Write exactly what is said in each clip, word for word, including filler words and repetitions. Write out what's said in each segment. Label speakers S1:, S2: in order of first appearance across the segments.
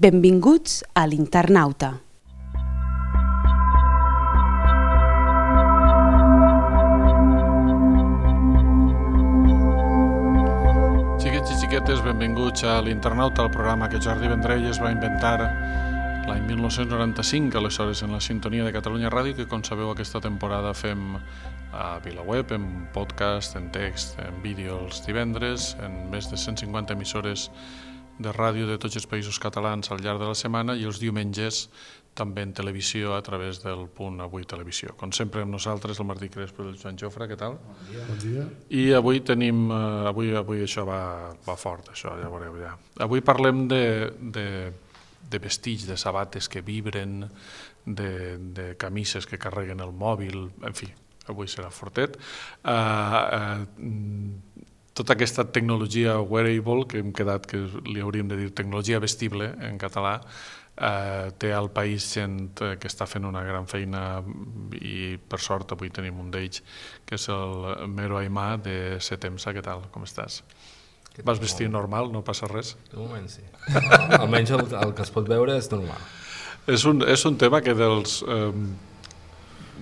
S1: Benvinguts a l'Internauta.
S2: Xiquets i xiquetes, benvinguts a l'Internauta, el programa que Jordi Vendrell es va inventar l'any mil nou-cents noranta-cinc, aleshores en la sintonia de Catalunya Ràdio, que com sabeu aquesta temporada fem a VilaWeb, en podcast, en text, en vídeo els divendres, en més de cent cinquanta emissores de ràdio de tots els països catalans al llarg de la setmana i els diumenges també en televisió a través del punt Avui Televisió. Com sempre amb nosaltres el Martí Crespo i el Joan Jofre, què tal?
S3: Bon dia. Bon dia.
S2: I avui tenim, uh, avui, avui això va, va fort, això ja veureu ja. Avui parlem de, de, de vestits, de sabates que vibren, de, de camises que carreguen el mòbil, en fi, avui serà fortet. Uh, uh, Tota aquesta tecnologia wearable, que hem quedat que li hauríem de dir tecnologia vestible en català, eh, té al país gent que està fent una gran feina i per sort avui tenim un d'ells, que és el Mero Aimà de Setemsa. Què tal? Com estàs? Vas vestir normal? No passa res?
S3: De moment sí. Almenys el, el que es pot veure és normal.
S2: És un, és un tema que dels... Eh,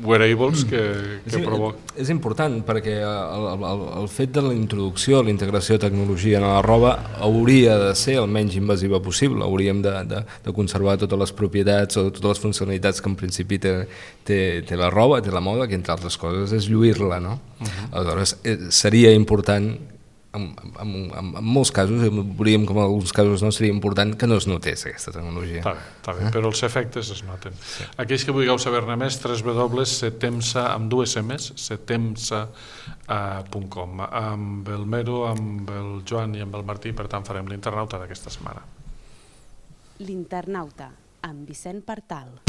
S2: wearables que, que
S3: sí,
S2: provoca.
S3: És important perquè el, el, el fet de la introducció, la integració de tecnologia en la roba hauria de ser el menys invasiva possible, hauríem de, de, de conservar totes les propietats o totes les funcionalitats que en principi té, té, té la roba, té la moda, que entre altres coses és lluir-la, no? Uh-huh. Aleshores seria important, en, en, en, en molts casos, veuríem com en alguns casos no seria important que no es notés aquesta tecnologia.
S2: Està bé, està bé, eh? Però els efectes es noten. Sí. Aquells que vulgueu saber-ne més, w w w punt setemsa amb dues emes, setemsa punt com. Amb el Mero, amb el Joan i amb el Martí, per tant farem l'Internauta d'aquesta setmana.
S1: L'Internauta, amb Vicent Partal.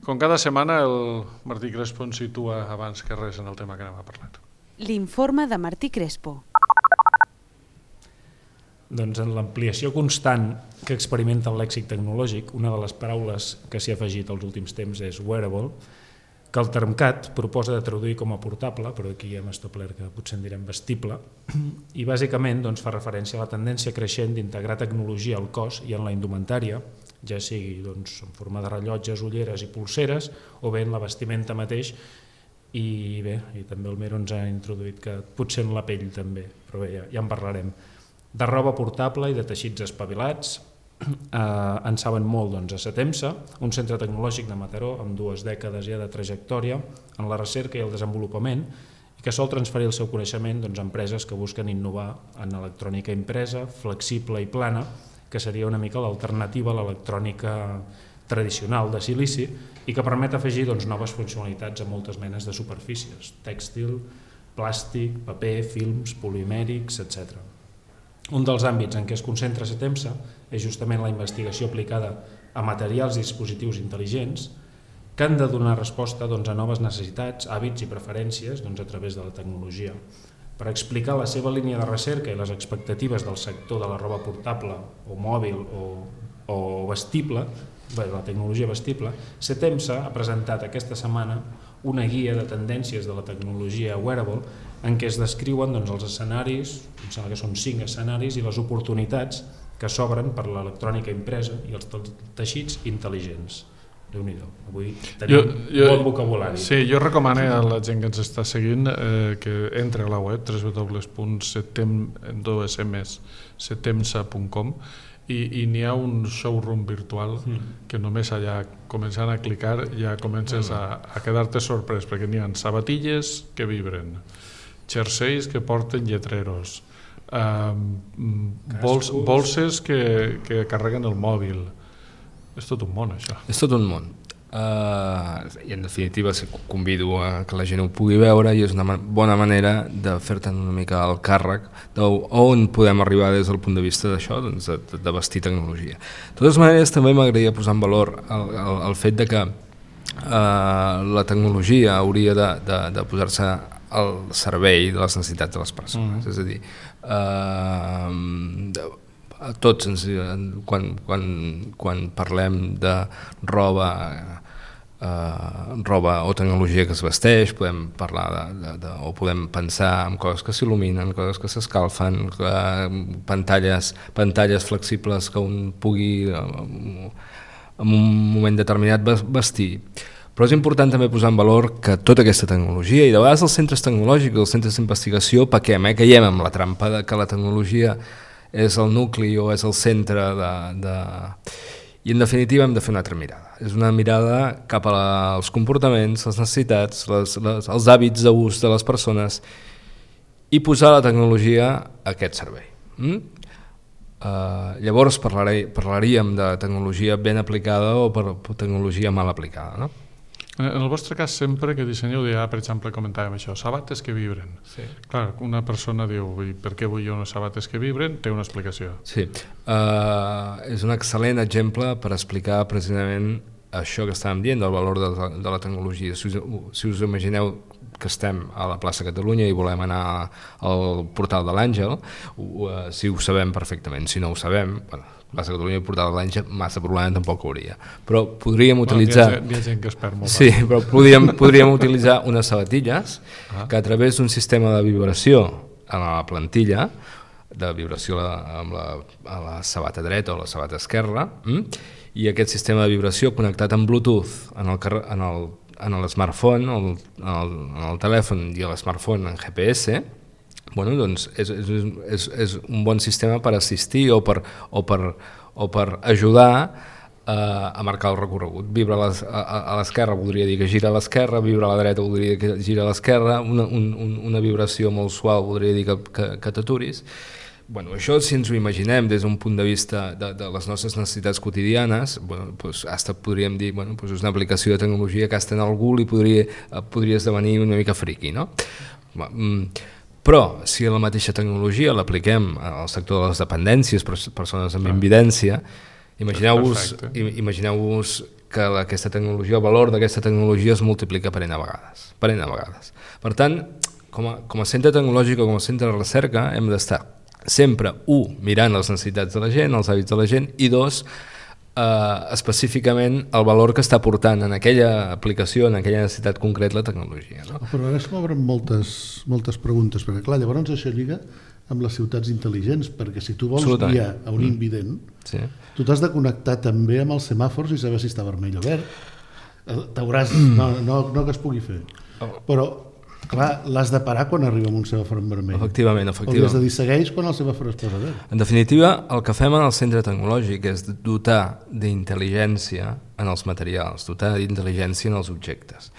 S2: Com cada setmana, el Martí Crespo ens situa abans que res en el tema que anem a parlar.
S1: L'informe de Martí Crespo.
S4: Doncs en l'ampliació constant que experimenta el lèxic tecnològic, una de les paraules que s'hi ha afegit als últims temps és wearable, que el Termcat proposa de traduir com a portable, però aquí hem establert que potser en direm vestible, i bàsicament doncs, fa referència a la tendència creixent d'integrar tecnologia al cos i en la indumentària, ja sigui doncs, en forma de rellotges, ulleres i polseres, o bé en la vestimenta mateix, i bé, i també el Mero ens ha introduït que potser en la pell també, però bé, ja, ja en parlarem. De roba portable i de teixits espavilats, eh, en saben molt doncs, a Setemsa, un centre tecnològic de Mataró amb dues dècades ja de trajectòria en la recerca i el desenvolupament, i que sol transferir el seu coneixement doncs, a empreses que busquen innovar en electrònica impresa, flexible i plana, que seria una mica l'alternativa a l'electrònica tradicional de silici i que permet afegir doncs, noves funcionalitats a moltes menes de superfícies, tèxtil, plàstic, paper, films, polimèrics, etcètera. Un dels àmbits en què es concentra Setemsa és justament la investigació aplicada a materials i dispositius intel·ligents que han de donar resposta doncs, a noves necessitats, hàbits i preferències doncs, a través de la tecnologia. Per explicar la seva línia de recerca i les expectatives del sector de la roba portable o mòbil o, o vestible, bé, la tecnologia vestible, Setemsa ha presentat aquesta setmana una guia de tendències de la tecnologia wearable en què es descriuen doncs, els escenaris, em sembla que són cinc escenaris, i les oportunitats que s'obren per l'electrònica impresa i els teixits intel·ligents. Déu-n'hi-do, avui tenim jo, jo, bon vocabulari.
S2: Sí, jo recomano a la gent que ens està seguint eh, que entre a la web w w w punt setemsa punt com i, i n'hi ha un showroom virtual mm. que només allà començant a clicar ja comences a, a quedar-te sorprès perquè n'hi ha sabatilles que vibren, jerseis que porten lletreros, eh, bols, bolses que, que carreguen el mòbil. És tot un món, això.
S3: És tot un món. Uh, I en definitiva convido a que la gent ho pugui veure i és una bona manera de fer-te'n una mica el càrrec d'on podem arribar des del punt de vista d'això, doncs de, de vestir tecnologia. De totes maneres també m'agradaria posar en valor el, el, el fet de que uh, la tecnologia hauria de, de, de posar-se al servei de les necessitats de les persones.
S2: Mm.
S3: És a dir, eh, a tots ens, quan, quan, quan parlem de roba Uh, roba o tecnologia que es vesteix, podem parlar de, de, de, o podem pensar en coses que s'il·luminen, coses que s'escalfen, uh, pantalles, pantalles flexibles que un pugui uh, en un moment determinat vestir. Però és important també posar en valor que tota aquesta tecnologia, i de vegades els centres tecnològics, els centres d'investigació, pequem, eh? caiem amb la trampa de que la tecnologia és el nucli o és el centre de... de... I en definitiva hem de fer una altra mirada. És una mirada cap als comportaments, les necessitats, les, les, els hàbits d'ús de les persones i posar la tecnologia a aquest servei. Mm? Uh, llavors parlaré, parlaríem de tecnologia ben aplicada o per, per tecnologia mal aplicada, no?
S2: En el vostre cas, sempre que dissenyeu, ja, per exemple, comentàvem això, sabates que vibren.
S3: Sí.
S2: Clar, una persona diu, per què vull jo unes sabates que vibren? Té una explicació.
S3: Sí, uh, és un excel·lent exemple per explicar precisament això que estàvem dient, del valor de, de la tecnologia. Si us, si us imagineu que estem a la plaça Catalunya i volem anar al portal de l'Àngel, uh, si ho sabem perfectament, si no ho sabem, bueno, plaça Catalunya i portal de l'Àngel, massa problema tampoc hauria. Però podríem utilitzar...
S2: Bueno, hi, ha, hi ha gent que es perd molt.
S3: Sí, però podríem, podríem utilitzar unes sabatilles
S2: ah. que
S3: a través d'un sistema de vibració a la plantilla, de vibració a la, amb la, a la sabata dreta o la sabata esquerra, hm? i aquest sistema de vibració connectat amb Bluetooth en el, en el, en el smartphone, en el, en el, en el telèfon i l'smartphone en G P S, bueno, doncs és, és, és, és un bon sistema per assistir o per, o per, o per ajudar eh, a marcar el recorregut. Vibra a, les, a, a l'esquerra voldria dir que gira a l'esquerra, vibra a la dreta voldria dir que gira a l'esquerra, una, un, una vibració molt suau voldria dir que, que, que t'aturis. Bueno, això, si ens ho imaginem des d'un punt de vista de, de les nostres necessitats quotidianes, bueno, doncs, hasta podríem dir bueno, doncs és una aplicació de tecnologia que hasta en algú li podria, podria esdevenir una mica friqui, no? Però si la mateixa tecnologia l'apliquem al sector de les dependències, persones amb invidència, imagineu-vos imagineu-vos que aquesta tecnologia, el valor d'aquesta tecnologia es multiplica per n vegades. Per n vegades. Per tant, com a, com a centre tecnològic o com a centre de recerca hem d'estar sempre, un, mirant les necessitats de la gent, els hàbits de la gent, i dos, eh, específicament el valor que està portant en aquella aplicació, en aquella necessitat concreta, la tecnologia. No?
S5: Però ara es m'obren moltes, moltes preguntes, perquè clar, llavors això lliga amb les ciutats intel·ligents, perquè si tu vols guiar a un invident, sí. tu t'has de connectar també amb els semàfors i saber si està vermell o verd. T'hauràs, no, no, no que es pugui fer, però clar, l'has de parar quan arriba amb un semàfor en vermell.
S3: Efectivament, efectivament.
S5: O li has de dir segueix quan el semàfor es posa verd.
S3: En definitiva, el que fem en el centre tecnològic és dotar d'intel·ligència en els materials, dotar d'intel·ligència en els objectes.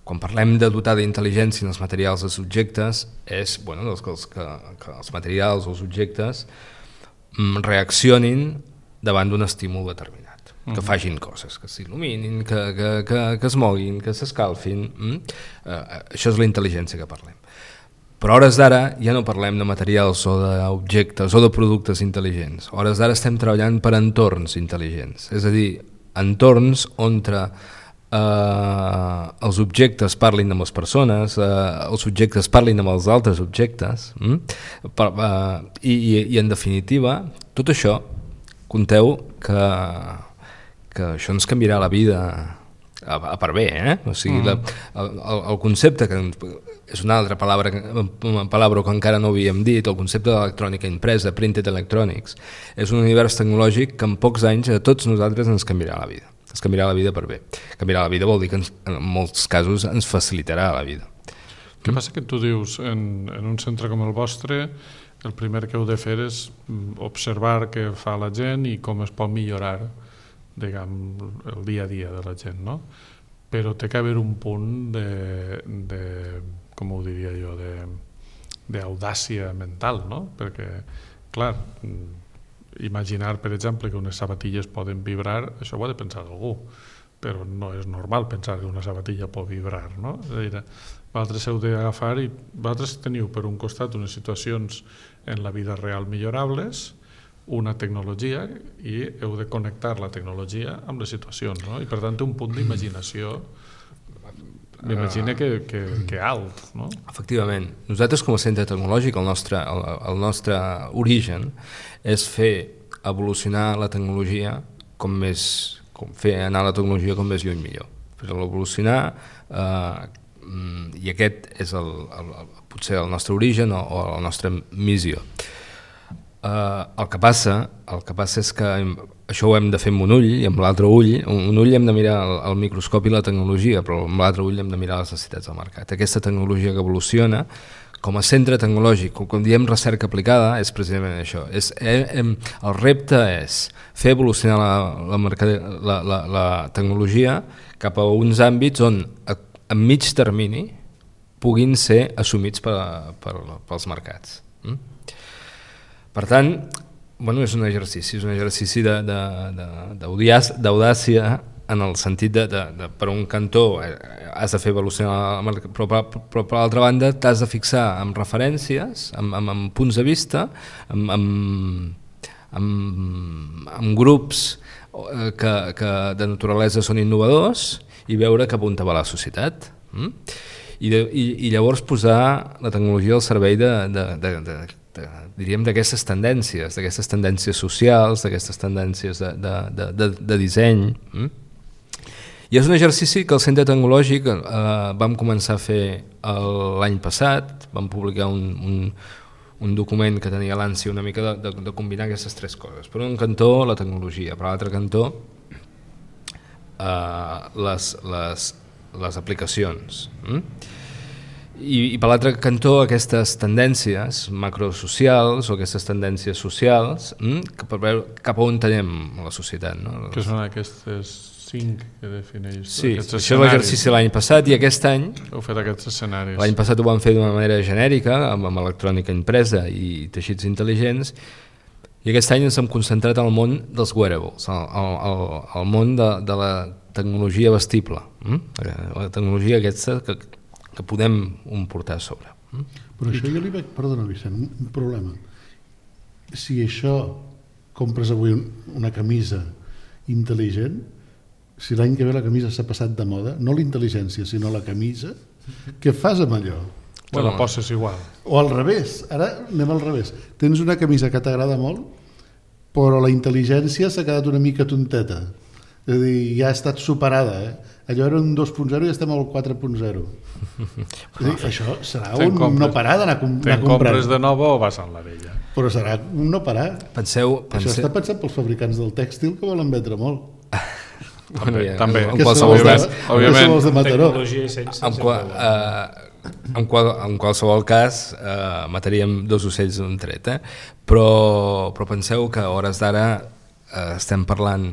S3: Quan parlem de dotar d'intel·ligència en els materials dels objectes, és bueno, doncs que, els, que, que els materials o els objectes reaccionin davant d'un estímul determinat. Que facin coses, que s'il·luminin, que, que, que, que es moguin, que s'escalfin. Mm? Uh, això és la intel·ligència que parlem. Però a hores d'ara ja no parlem de materials o d'objectes o de productes intel·ligents. A hores d'ara estem treballant per entorns intel·ligents, és a dir, entorns on uh, els objectes parlin amb les persones, uh, els objectes parlin amb els altres objectes, mm? per, uh, i, i, i en definitiva, tot això, compteu que que això ens canviarà la vida a, a per bé, eh? O sigui, la, el, el concepte, que és una altra paraula, una paraula que encara no havíem dit, el concepte d'electrònica impresa, printed electronics, és un univers tecnològic que en pocs anys a tots nosaltres ens canviarà la vida. Ens canviarà la vida per bé. Canviarà la vida vol dir que ens, en molts casos ens facilitarà la vida.
S2: Què passa que tu dius, en, en un centre com el vostre, el primer que heu de fer és observar què fa la gent i com es pot millorar, diguem, el dia a dia de la gent, no? Però té que haver un punt de, de com ho diria jo, d'audàcia mental, no? Perquè, clar, imaginar, per exemple, que unes sabatilles poden vibrar, això ho ha de pensar algú, però no és normal pensar que una sabatilla pot vibrar, no? És a dir, vosaltres heu d'agafar i vosaltres teniu per un costat unes situacions en la vida real millorables, una tecnologia, i heu de connectar la tecnologia amb les situacions, no? I per tant té un punt d'imaginació m'imagino que, que, que alt, no?
S3: Efectivament. Nosaltres com a centre tecnològic, el nostre, el, el nostre origen és fer evolucionar la tecnologia com més, com fer anar la tecnologia com més lluny millor. Fer-la evolucionar eh, i aquest és el, el, el, potser el nostre origen o, o la nostra missió. Uh, el que passa el que passa és que això ho hem de fer amb un ull i amb l'altre ull, un ull hem de mirar el, el microscopi i la tecnologia, però amb l'altre ull hem de mirar les necessitats del mercat. Aquesta tecnologia que evoluciona, com a centre tecnològic, quan diem recerca aplicada, és precisament això. És, eh, eh, el repte és fer evolucionar la, la, mercade, la, la, la tecnologia cap a uns àmbits on a, a mig termini puguin ser assumits per, per, pels mercats. Mm? Per tant, bueno, és un exercici, és un exercici d'audàcia en el sentit de, de, de per un cantó has de fer evolucionar, però, però, però per l'altra banda t'has de fixar en referències, en, en, en punts de vista, en, en, en, en grups que, que de naturalesa són innovadors i veure cap on va la societat. Mm? I, de, i, I llavors posar la tecnologia al servei de, de, de, de De, diríem d'aquestes tendències, d'aquestes tendències socials, d'aquestes tendències de, de, de, de, de disseny. Mm? I és un exercici que el Centre Tecnològic eh, vam començar a fer l'any passat, vam publicar un, un, un document que tenia l'ànsia una mica de, de, de combinar aquestes tres coses. Per un cantó la tecnologia, per l'altre cantó eh, les, les, les aplicacions. Mm? I, i per l'altre cantó aquestes tendències macrosocials o aquestes tendències socials hm, que per veure cap a on tenem la societat. No?
S2: Que són aquestes cinc que defineix.
S3: Sí, això és l'exercici l'any passat i aquest any...
S2: Heu fet aquests escenaris.
S3: L'any passat ho vam fer d'una manera genèrica, amb, amb electrònica impresa i teixits intel·ligents, i aquest any ens hem concentrat en el món dels wearables, el, el, el món de, de la tecnologia vestible, hm? La tecnologia aquesta que que podem un portar a sobre.
S5: Però això jo li veig, perdona Vicent, un problema. Si això compres avui una camisa intel·ligent, si l'any que ve la camisa s'ha passat de moda, no la intel·ligència, sinó la camisa, què fas amb allò?
S2: O la poses igual.
S5: O al revés, ara anem al revés. Tens una camisa que t'agrada molt, però la intel·ligència s'ha quedat una mica tonteta. És a dir, ja ha estat superada, eh? Allò era un dos punt zero i estem al quatre punt zero. Dir, això serà un compres, no parar d'anar comprant.
S2: Te'n compres de nova o vas en la vella?
S5: Però serà un no parar.
S3: Penseu, penseu...
S5: Això està pensat pels fabricants del tèxtil que volen vendre molt.
S2: Bueno, també, ja, també.
S3: En qualsevol cas,
S5: òbviament, de Mataró.
S3: En, qual, eh, en, qual, en qualsevol cas eh, mataríem dos ocells d'un tret, eh? però, però penseu que a hores d'ara eh, estem parlant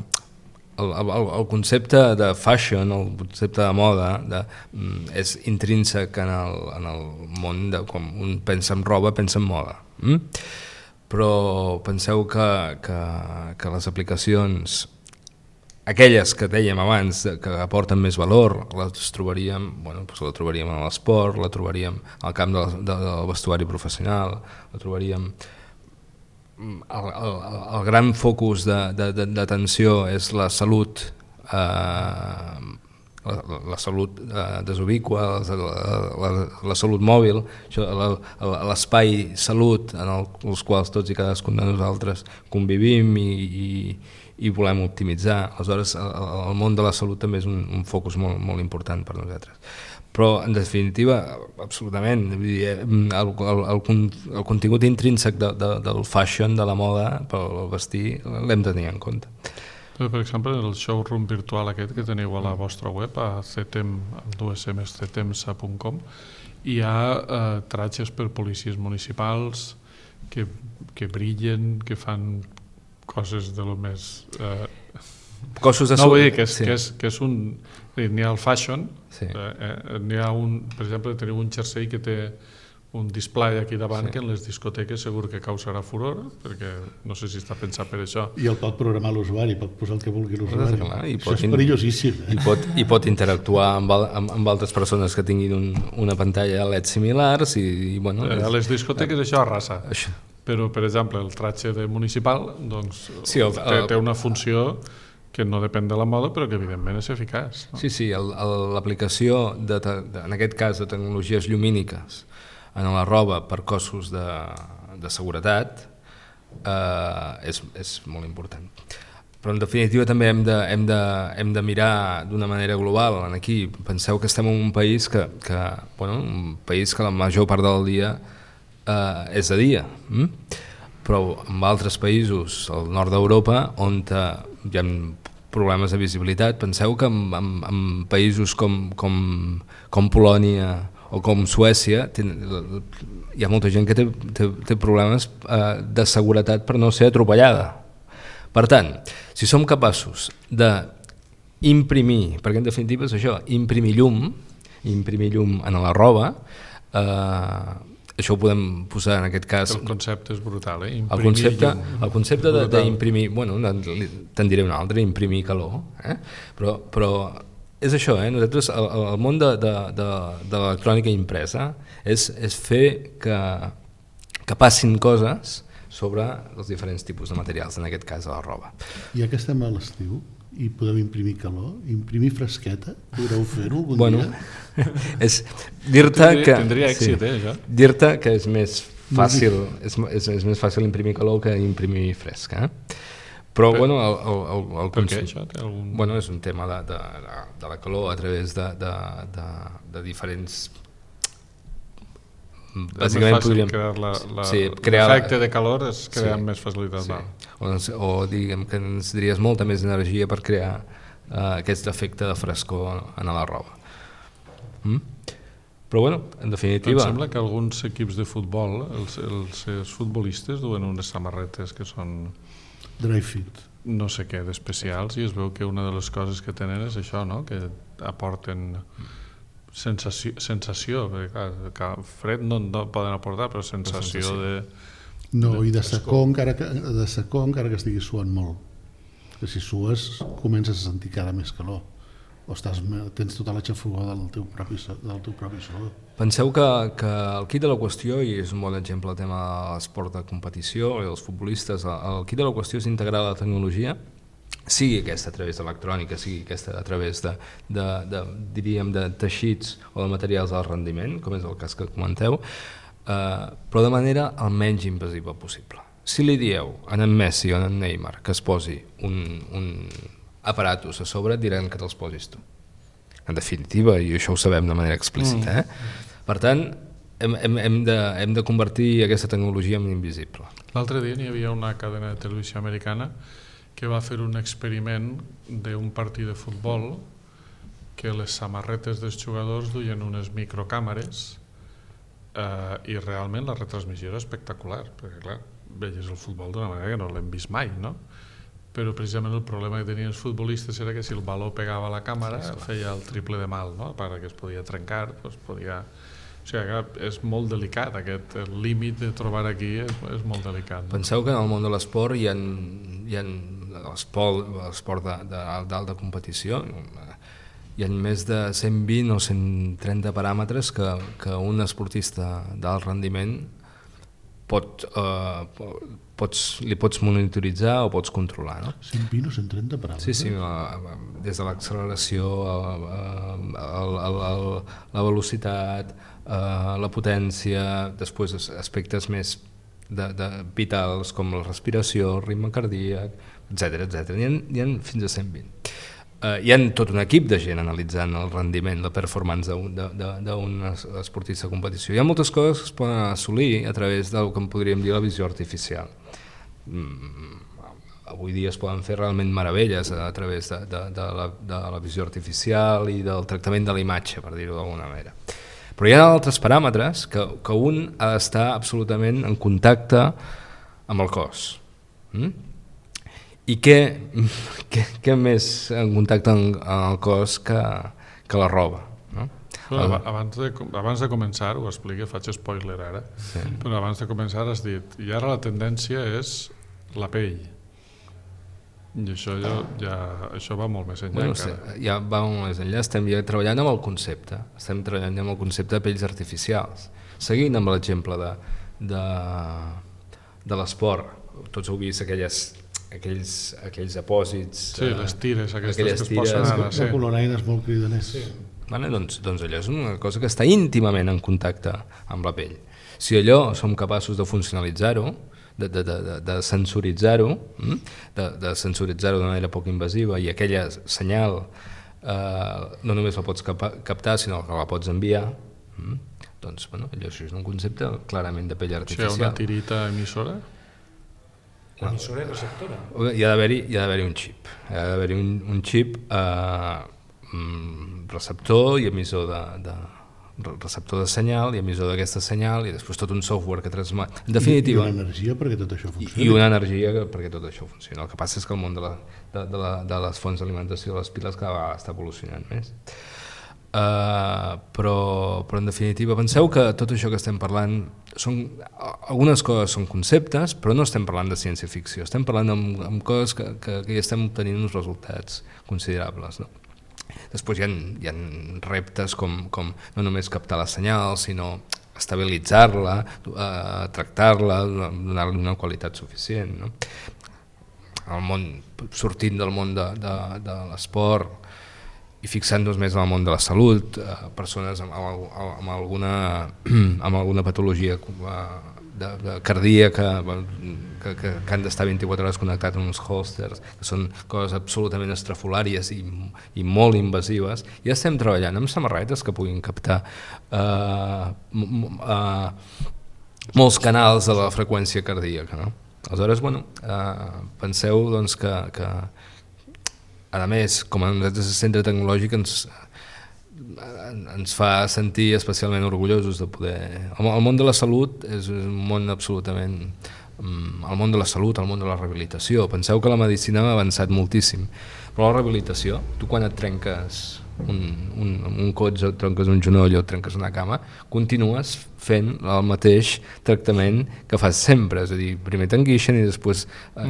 S3: El, el, el concepte de fashion, el concepte de moda de, mm, és intrínsec en el, en el món de quan un pensa en roba, pensa en moda. Mm? Però penseu que, que, que les aplicacions, aquelles que dèiem abans, que aporten més valor, les trobaríem, bueno, doncs la trobaríem en l'esport, la trobaríem al camp del, del vestuari professional, la trobaríem... El, el, el gran focus d'atenció és la salut, eh, la, la salut eh, desubicua, la, la, la salut mòbil, l'espai salut en el, els quals tots i cadascun de nosaltres convivim i, i, i volem optimitzar. Aleshores, el, el món de la salut també és un, un focus molt, molt important per nosaltres. Però, en definitiva, absolutament, el, el, el, el contingut intrínsec de, de, del fashion, de la moda, pel vestir, l'hem de tenir en compte.
S2: Per exemple, el showroom virtual aquest que teniu a la vostra web, a cetem, dues emes, cetemsa punt com, hi ha eh, tratges per policies municipals que, que brillen, que fan coses de lo més... Eh,
S3: Cossos de
S2: no, vull dir que és,
S3: sí.
S2: que és, que és un... N'hi ha el fashion,
S3: sí.
S2: eh, n'hi ha un... Per exemple, teniu un jersei que té un display aquí davant, sí. que en les discoteques segur que causarà furor, perquè no sé si està pensat per això.
S5: I el pot programar l'usuari, pot posar el que vulgui l'usuari. Això és
S3: in...
S5: perillosíssim. Eh?
S3: I, pot, I pot interactuar amb, amb, amb altres persones que tinguin un, una pantalla L E D similars i, i bueno...
S2: Eh, a les discoteques eh, això arrasa. Això. Però, per exemple, el tratge de municipal doncs, sí, el, el, té, té una funció que no depèn de la moda, però que evidentment és eficaç. No?
S3: Sí, sí, l'aplicació, en aquest cas, de tecnologies llumíniques en la roba per cossos de, de seguretat eh, és, és molt important. Però en definitiva també hem de, hem de, hem de mirar d'una manera global. Aquí penseu que estem en un país que, que, bueno, un país que la major part del dia eh, és de dia, hm? Però en altres països, al nord d'Europa, on hi ha problemes de visibilitat, penseu que en, en, en països com, com, com Polònia o com Suècia ten, hi ha molta gent que té, té, té problemes eh, de seguretat per no ser atropellada. Per tant, si som capaços d'imprimir, perquè en definitiva és això, imprimir llum, imprimir llum en la roba, eh, això ho podem posar en aquest cas...
S2: El concepte és brutal, eh? Imprimir
S3: el concepte,
S2: llum.
S3: El concepte d'imprimir, bueno, te'n diré un altre, imprimir calor, eh? però, però és això, eh? Nosaltres, el, el món de, de, de, de l'electrònica impresa és, és fer que, que passin coses sobre els diferents tipus de materials, en aquest cas a la roba.
S5: Ja que estem a l'estiu i podem imprimir calor, imprimir fresqueta, podreu fer-ho algun
S3: bueno,
S5: dia?
S3: És dir-te que...
S2: Tindria èxit, sí, eh, això?
S3: Dir-te que és més fàcil, és, és, és més fàcil imprimir calor que imprimir fresca, eh? Però, per, bueno... El, el, el, el
S2: per què això? Té algun...
S3: Bueno, és un tema de, de, de, de la calor a través de, de, de, de diferents...
S2: Bàsicament podríem... La, la, sí, l'efecte de calor és crear sí, més facilitat. Sí.
S3: O, o diguem que ens diries molta més energia per crear uh, aquest efecte de frescor en la roba. Mm? Però bueno, en definitiva...
S2: Em sembla que alguns equips de futbol, els, els, els futbolistes duen unes samarretes que són...
S5: Dry fit.
S2: No sé què, d'especials, i es veu que una de les coses que tenen és això, no? Que aporten... sensació, sensació perquè clar, fred no, no poden aportar, però sensació, sensació. de...
S5: No, de i de secó, encara que, de secó encara que estiguis suant molt. Que si sues comences a sentir cada més calor. O estàs, tens tota la xafogó del teu propi, del teu propi sudor.
S3: Penseu que, que el quid de la qüestió, i és un bon exemple el tema de l'esport de competició i els futbolistes, el quid de la qüestió és integrar la tecnologia, sigui aquesta a través d'electrònica, sigui aquesta a través de, de, de, diríem, de teixits o de materials d'alt rendiment, com és el cas que comenteu, eh, però de manera el menys invasiva possible. Si li dieu a en Messi o a en Neymar que es posi un, un aparatus a sobre, diran que te'ls posis tu. En definitiva, i això ho sabem de manera explícita. Eh? Per tant, hem, hem, hem, de, hem de convertir aquesta tecnologia en invisible.
S2: L'altre dia n'hi havia una cadena de televisió americana que va fer un experiment d'un partit de futbol que les samarretes dels jugadors duien unes microcàmeres eh, i realment la retransmissió era espectacular, perquè clar, veies el futbol d'una manera que no l'hem vist mai, no? Però precisament el problema que tenien els futbolistes era que si el baló pegava a la càmera feia el triple de mal, no? A part que es podia trencar, doncs podia... O sigui, és molt delicat, aquest límit de trobar aquí és, és molt delicat. No?
S3: Penseu que en el món de l'esport hi ha, hi ha l'esport d'alta competició, hi ha més de cent vint o cent trenta paràmetres que, que un esportista d'alt rendiment pot, eh, pots, li pots monitoritzar o pots controlar. No?
S5: cent vint o cent trenta paràmetres?
S3: Sí, sí, des de l'acceleració, la velocitat, la potència, després aspectes més de, de vitals com la respiració, el ritme cardíac, etcètera etcètera. N'hi ha, n'hi ha fins a cent vint. Uh, hi ha tot un equip de gent analitzant el rendiment, la performance d'un esportista de competició. Hi ha moltes coses que es poden assolir a través del que en podríem dir la visió artificial. Mm, avui dia es poden fer realment meravelles a través de, de, de, la, de la visió artificial i del tractament de la imatge, per dir-ho d'alguna manera. Però hi ha altres paràmetres que, que un ha d'estar absolutament en contacte amb el cos. Mm? I què, què, què més en contacte amb el cos que, que la roba? No?
S2: Bueno, abans, de, abans de començar, ho explico, faig spoiler ara, sí. Però abans de començar has dit, i ara la tendència és la pell. I això, ja, ja, això va molt més enllà.
S3: Bueno,
S2: encara.
S3: Sí, ja va molt més enllà, estem ja treballant amb el concepte, estem treballant amb el concepte de pells artificials. Seguint amb l'exemple de, de, de l'esport, tots heu vist aquelles aquells, aquells apòsits...
S2: Sí, les tires aquestes que es posen ara.
S5: De coloraines molt cridaners.
S3: Sí. Vale, doncs, doncs allò és una cosa que està íntimament en contacte amb la pell. Si allò som capaços de funcionalitzar-ho, de, de, de, de sensoritzar-ho, de, de sensoritzar-ho d'una manera poc invasiva, i aquella senyal eh, no només la pots captar, sinó que la pots enviar, doncs bueno, allò és un concepte clarament de pell artificial.
S2: Si hi ha una tirita emissora?
S4: Una emissora i receptora?
S3: Hi ha d'haver-hi hi ha d'haver-hi un xip. Hi ha d'haver-hi un, un xip eh, receptor i emissor de, de receptor de senyal i emissor d'aquesta senyal i després tot un software que transmet. En definitiva,
S5: I una energia perquè tot això funcioni.
S3: I una energia perquè tot això funcioni. El que passa és que el món de, la, de, de, la, de les fonts d'alimentació de les piles cada vegada està evolucionant més. Uh, però, però en definitiva penseu que tot això que estem parlant són, algunes coses són conceptes, però no estem parlant de ciència-ficció, estem parlant amb, amb coses que, que, que ja estem obtenint uns resultats considerables, no? Després hi ha, hi ha reptes com, com no només captar la senyal, sinó estabilitzar-la, uh, tractar-la, donar-li una qualitat suficient, no? El món, sortint del món de, de, de l'esport i fixant-nos més en el món de la salut, eh, persones amb, amb, amb, alguna, amb alguna patologia de, de cardíaca que, que, que han d'estar vint-i-quatre hores connectats amb uns holsters, que són coses absolutament estrafolàries i, i molt invasives. Ja estem treballant amb samarretes que puguin captar eh, eh, molts canals de la freqüència cardíaca, no? Aleshores, bueno, eh, penseu doncs, que, que a més, com a nosaltres el centre tecnològic ens, ens fa sentir especialment orgullosos de poder... El món de la salut és un món absolutament... El món de la salut, el món de la rehabilitació. Penseu que la medicina ha avançat moltíssim, però la rehabilitació, tu quan et trenques un, un, un cotxe, et trenques un genoll o et trenques una cama, continues fent el mateix tractament que fas sempre, és a dir, primer t'enguixen i després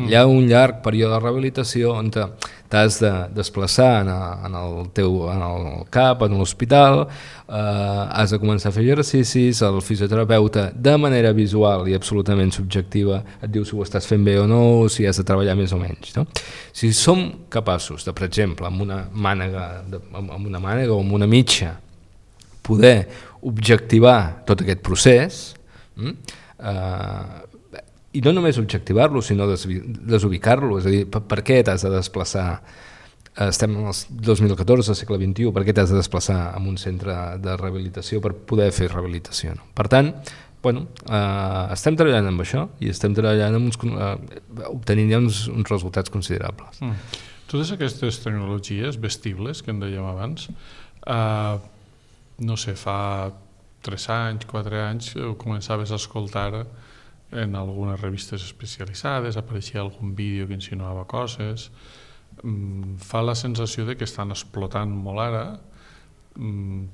S3: hi ha un llarg període de rehabilitació on t'has de desplaçar en, en el teu en el cap, en l'hospital, eh, has de començar a fer exercicis, el fisioterapeuta de manera visual i absolutament subjectiva et diu si ho estàs fent bé o no, o si has de treballar més o menys, no? Si som capaços de, per exemple, amb una mànega, de, amb una mànega o amb una mitja, poder objectivar tot aquest procés, eh, i no només objectivar-lo, sinó desubicar-lo, és a dir, per, per què t'has de desplaçar, estem en el dos mil catorze, segle vint-i-u, per què t'has de desplaçar a un centre de rehabilitació per poder fer rehabilitació, no? Per tant, bueno, eh, estem treballant amb això i estem treballant amb uns, eh, obtenint ja uns, uns resultats considerables.
S2: Mm. Totes aquestes tecnologies vestibles que en dèiem abans, eh, no sé, fa tres anys, quatre anys, començaves a escoltar en algunes revistes especialitzades, apareixia algun vídeo que insinuava coses, mm, fa la sensació de que estan explotant molt ara. Mm,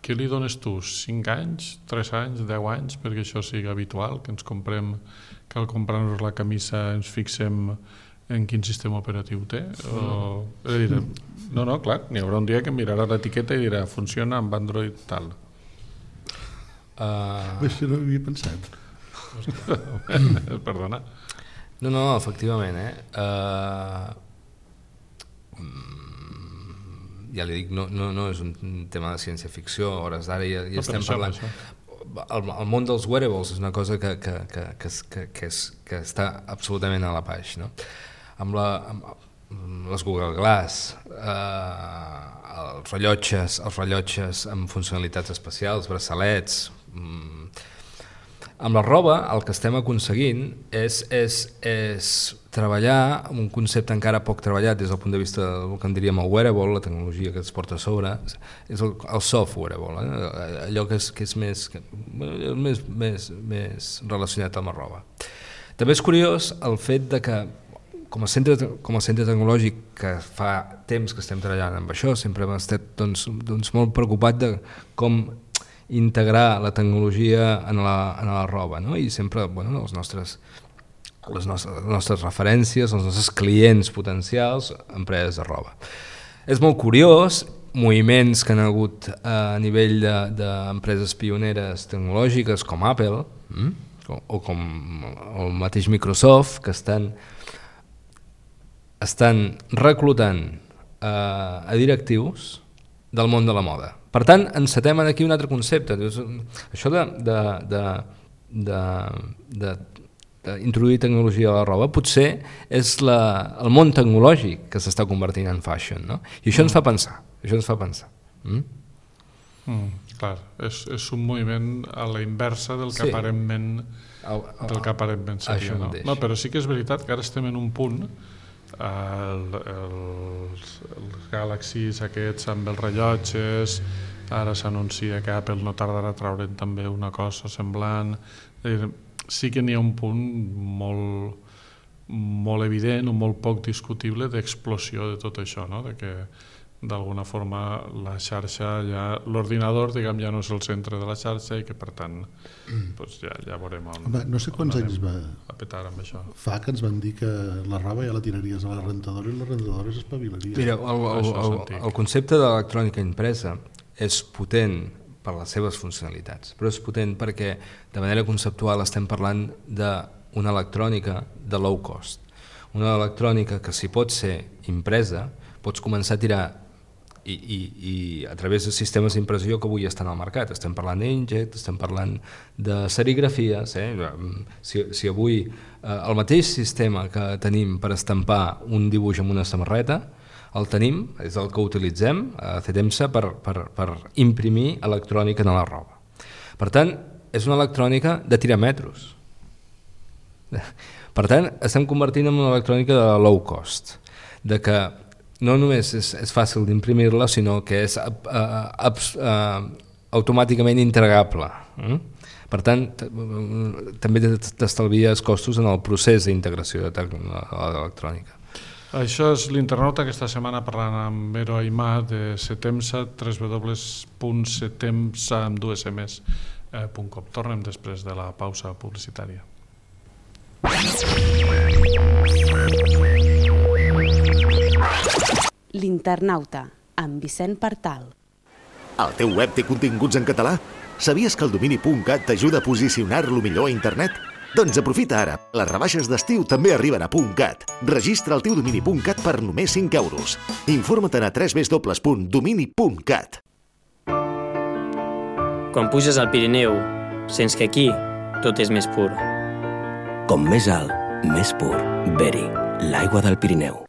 S2: què li dones tu? cinc anys, tres anys, deu anys, perquè això sigui habitual, que ens comprem, que al comprar-nos la camisa ens fixem en quin sistema operatiu té? O, és a dir, no, no, clar, n'hi haurà un dia que mirarà l'etiqueta i dirà funciona amb Android tal.
S5: Uh... Això no ho havia pensat.
S2: Perdona.
S3: No, no, efectivament, eh? Uh... Ja li dic, no, no, no és un tema de ciència-ficció, a hores d'ara ja, ja estem parlant... El, el món dels wearables és una cosa que, que, que, que, que, que, és, que està absolutament a la baix, no? Amb, la, amb les Google Glass, eh, els rellotges, els rellotges amb funcionalitats especials, braçalets... Mm, amb la roba el que estem aconseguint és, és, és treballar amb un concepte encara poc treballat des del punt de vista del que en diríem el wearable, la tecnologia que es porta a sobre, és el, el soft wearable, eh? Allò que és, que és més, que, més, més, més relacionat amb la roba. També és curiós el fet de que com a centre, com a centre tecnològic que fa temps que estem treballant amb això, sempre hem estat doncs, doncs molt preocupat de com integrar la tecnologia en la, en la roba, no? I sempre, bueno, els nostres, les, nostres, les nostres referències, els nostres clients potencials, empreses de roba. És molt curiós, moviments que han hagut a nivell d'empreses de, pioneres tecnològiques com Apple, mm? o, o com el mateix Microsoft, que estan estan reclutant eh, a directius del món de la moda. Per tant, encetem aquí un altre concepte. Això de, de, de, de, de, d'introduir tecnologia a la roba potser és la, el món tecnològic que s'està convertint en fashion, no? I això mm. ens fa pensar. Això ens fa pensar. Mm?
S2: Mm, clar, és, és un moviment a la inversa del que sí. aparentment del que aparentment seria, no? No, però sí que és veritat que ara estem en un punt, el, els, els Galaxies aquests amb els rellotges, ara s'anuncia que Apple no tardarà a traure'n també una cosa semblant. Sí que n'hi ha un punt molt, molt evident o molt poc discutible d'explosió de tot això, no? De que d'alguna forma la xarxa, ja, l'ordinador diguem, ja no és el centre de la xarxa i que per tant doncs ja, ja veurem on,
S5: Home, no sé quants anys va
S2: a petar amb això.
S5: Fa que ens van dir que la roba ja la tiraries a la rentadora i la rentadora s'espavilaria.
S3: Mira, el, el, el, el concepte d'electrònica impresa és potent per les seves funcionalitats, però és potent perquè de manera conceptual estem parlant d'una electrònica de low cost, una electrònica que si pot ser impresa pots començar a tirar i, i, i a través de sistemes d'impressió que avui estan al mercat. Estem parlant d'injet, estem parlant de serigrafies. Eh? Si, si avui eh, el mateix sistema que tenim per estampar un dibuix amb una samarreta el tenim, és el que utilitzem a Cetemsa per, per, per imprimir electrònica en la roba. Per tant, és una electrònica de tirar metros. Per tant, estem convertint en una electrònica de low cost, de que no només és, és fàcil d'imprimir-la, sinó que és uh, uh, uh, automàticament integrable. Mm? Per tant, també t'estalvies costos en el procés d'integració de l'electrònica.
S2: Això és l'internauta aquesta setmana parlant amb Vero Aimà de Cetemsa, w w w punt cetemsa amb dues emes punt com. Tornem després de la pausa publicitària.
S1: L'internauta, amb Vicent Partal.
S6: El teu web té continguts en català? Sabies que el domini punt cat t'ajuda a posicionar-lo millor a internet? Doncs aprofita ara. Les rebaixes d'estiu també arriben a .cat. Registra el teu domini punt cat per només cinc euros. Informa't a w w w punt domini punt cat.
S7: Quan puges al Pirineu, sents que aquí tot és més pur.
S8: Com més alt, més pur. Beri, l'aigua del Pirineu.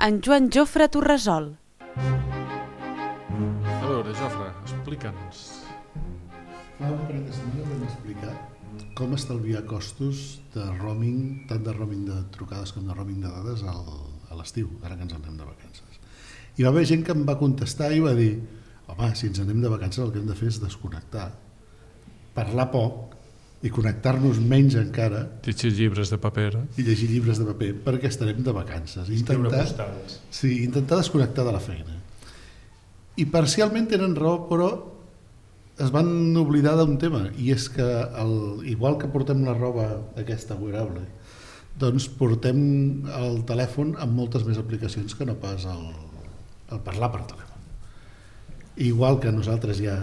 S1: En Joan Jofre Torresol.
S2: A veure, Jofre, explica'ns.
S5: Fa un parell de setmanes vam explicar com estalviar costos de roaming, tant de roaming de trucades com de roaming de dades al, a l'estiu, ara que ens anem de vacances. I va haver gent que em va contestar i va dir: home, si ens anem de vacances el que hem de fer és desconnectar, parlar poc i connectar-nos menys encara,
S2: llegir llibres de paper
S5: i llegir llibres de paper perquè estarem de vacances, intentar, sí, intentar desconnectar de la feina. I parcialment tenen raó, però es van oblidar d'un tema, i és que el, igual que portem la roba aquesta wearable, doncs portem el telèfon amb moltes més aplicacions que no pas el, el parlar per telèfon. Igual que nosaltres ja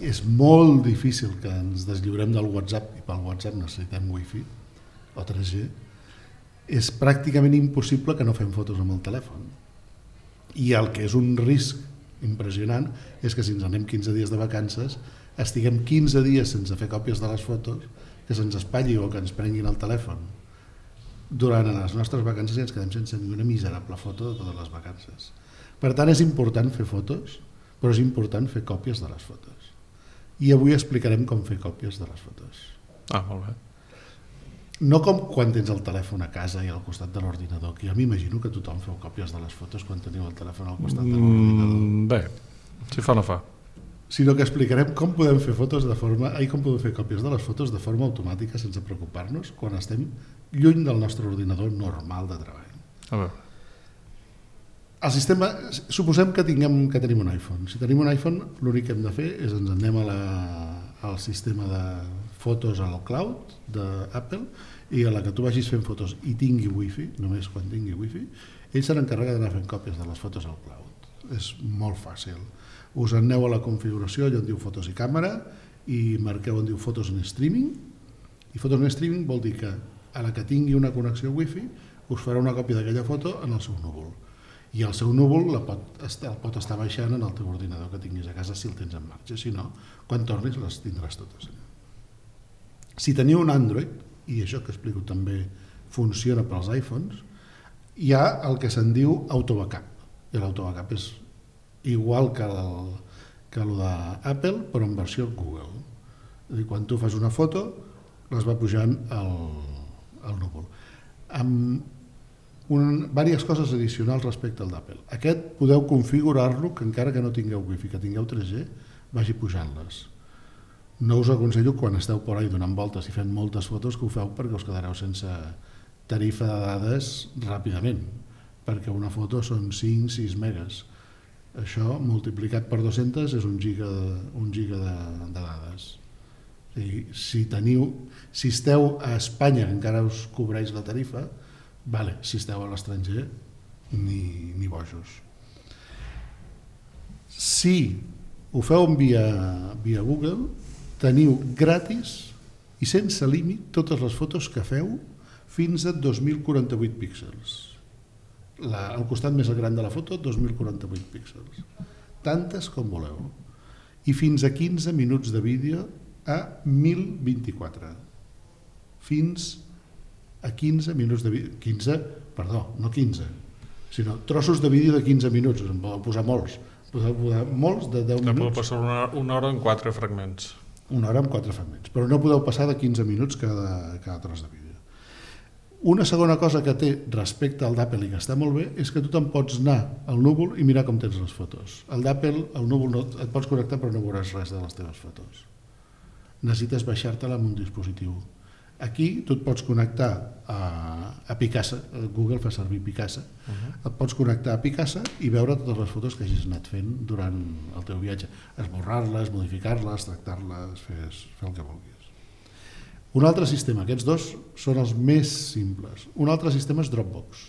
S5: és molt difícil que ens deslliurem del WhatsApp, i pel WhatsApp necessitem wifi o tres G, és pràcticament impossible que no fem fotos amb el telèfon. I el que és un risc impressionant és que si ens anem quinze dies de vacances estiguem quinze dies sense fer còpies de les fotos, que se'ns espatlli o que ens prenguin el telèfon durant les nostres vacances i ens quedem sense ni una miserable foto de totes les vacances. Per tant, és important fer fotos, però és important fer còpies de les fotos. I avui explicarem com fer còpies de les fotos.
S2: Ah, molt bé.
S5: No com quan tens el telèfon a casa i al costat de l'ordinador, que jo m'imagino que tothom feu còpies de les fotos quan teniu el telèfon al costat de l'ordinador.
S2: Mm, bé, si fa no fa.
S5: Sinó que explicarem com podem fer fotos de forma, ai, com podem fer còpies de les fotos de forma automàtica sense preocupar-nos quan estem lluny del nostre ordinador normal de treball.
S2: A veure.
S5: El sistema, suposem que, tinguem, que tenim un iPhone. Si tenim un iPhone, l'únic que hem de fer és ens anem a la, al sistema de fotos al cloud d'Apple i a la que tu vagis fent fotos i tingui wifi, només quan tingui wifi, ell se n'encarrega d'anar fent còpies de les fotos al cloud. És molt fàcil. Us aneu a la configuració, allò on diu fotos i càmera, i marqueu on diu fotos en streaming, i fotos en streaming vol dir que a la que tingui una connexió wifi us farà una còpia d'aquella foto en el seu núvol. I el seu núvol la pot, el pot estar baixant en el teu ordinador que tinguis a casa si el tens en marxa. Si no, quan tornis les tindràs totes. Si teniu un Android, i això que explico també funciona pels iPhones, hi ha el que se'n diu autobackup. I l'autobackup és igual que el, que el d'Apple, però en versió Google. És a dir, quan tu fas una foto, les va pujant al, al núvol. Amb un, diverses coses addicionals respecte al d'Apple. Aquest podeu configurar-lo que encara que no tingueu wifi, que tingueu tres G, vagi pujant-les. No us aconsello quan esteu por ahí donant voltes i fent moltes fotos que ho feu perquè us quedareu sense tarifa de dades ràpidament, perquè una foto són cinc sis megas. Això multiplicat per dos-centes és un giga, un giga de, de dades. I si teniu, si esteu a Espanya encara us cobreix la tarifa, vale, si esteu a l'estranger ni, ni bojos. Si ho feu via, via Google, teniu gratis i sense límit totes les fotos que feu fins a dos mil quaranta-vuit píxels. La, el costat més gran de la foto, dos mil quaranta-vuit píxels. Tantes com voleu. I fins a quinze minuts de vídeo a mil vint-i-quatre. Fins a quinze minuts de vídeo. quinze, perdó, no quinze, sinó trossos de vídeo de quinze minuts. En podeu posar molts. Podeu posar molts de deu minuts.
S2: Podeu passar una, una hora en quatre fragments.
S5: Una hora amb quatre fragments. Però no podeu passar de quinze minuts cada, cada tros de vídeo. Una segona cosa que té respecte al d'Apple i que està molt bé és que tu te'n pots anar al núvol i mirar com tens les fotos. Al d'Apple, al núvol no, et pots connectar però no veuràs res de les teves fotos. Necessites baixar-te-la en un dispositiu. Aquí tu et pots connectar a, a Picasa, Google fa servir Picasa, uh-huh. Et pots connectar a Picasa i veure totes les fotos que hagis anat fent durant el teu viatge. Esborrar-les, modificar-les, tractar-les, fer, fer el que vulguis. Un altre sistema, aquests dos són els més simples. Un altre sistema és Dropbox.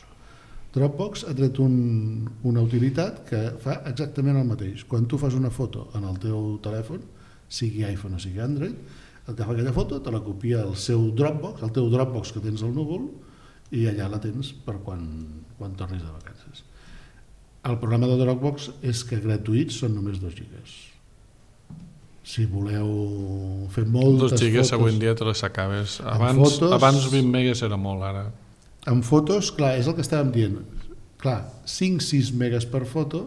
S5: Dropbox ha tret un, una utilitat que fa exactament el mateix. Quan tu fas una foto en el teu telèfon, sigui iPhone o sigui Android, et agafa aquella foto, te la copia al seu Dropbox, el teu Dropbox que tens al núvol, i allà la tens per quan, quan tornis de vacances. El problema de Dropbox és que gratuïts són només dos gigas. Si voleu fer moltes
S2: dos gigas
S5: fotos...
S2: avui en dia te les acabes. Abans, fotos, abans vint megas era molt, ara.
S5: En fotos, clar, és el que estàvem dient. Clar, cinc sis megas per foto,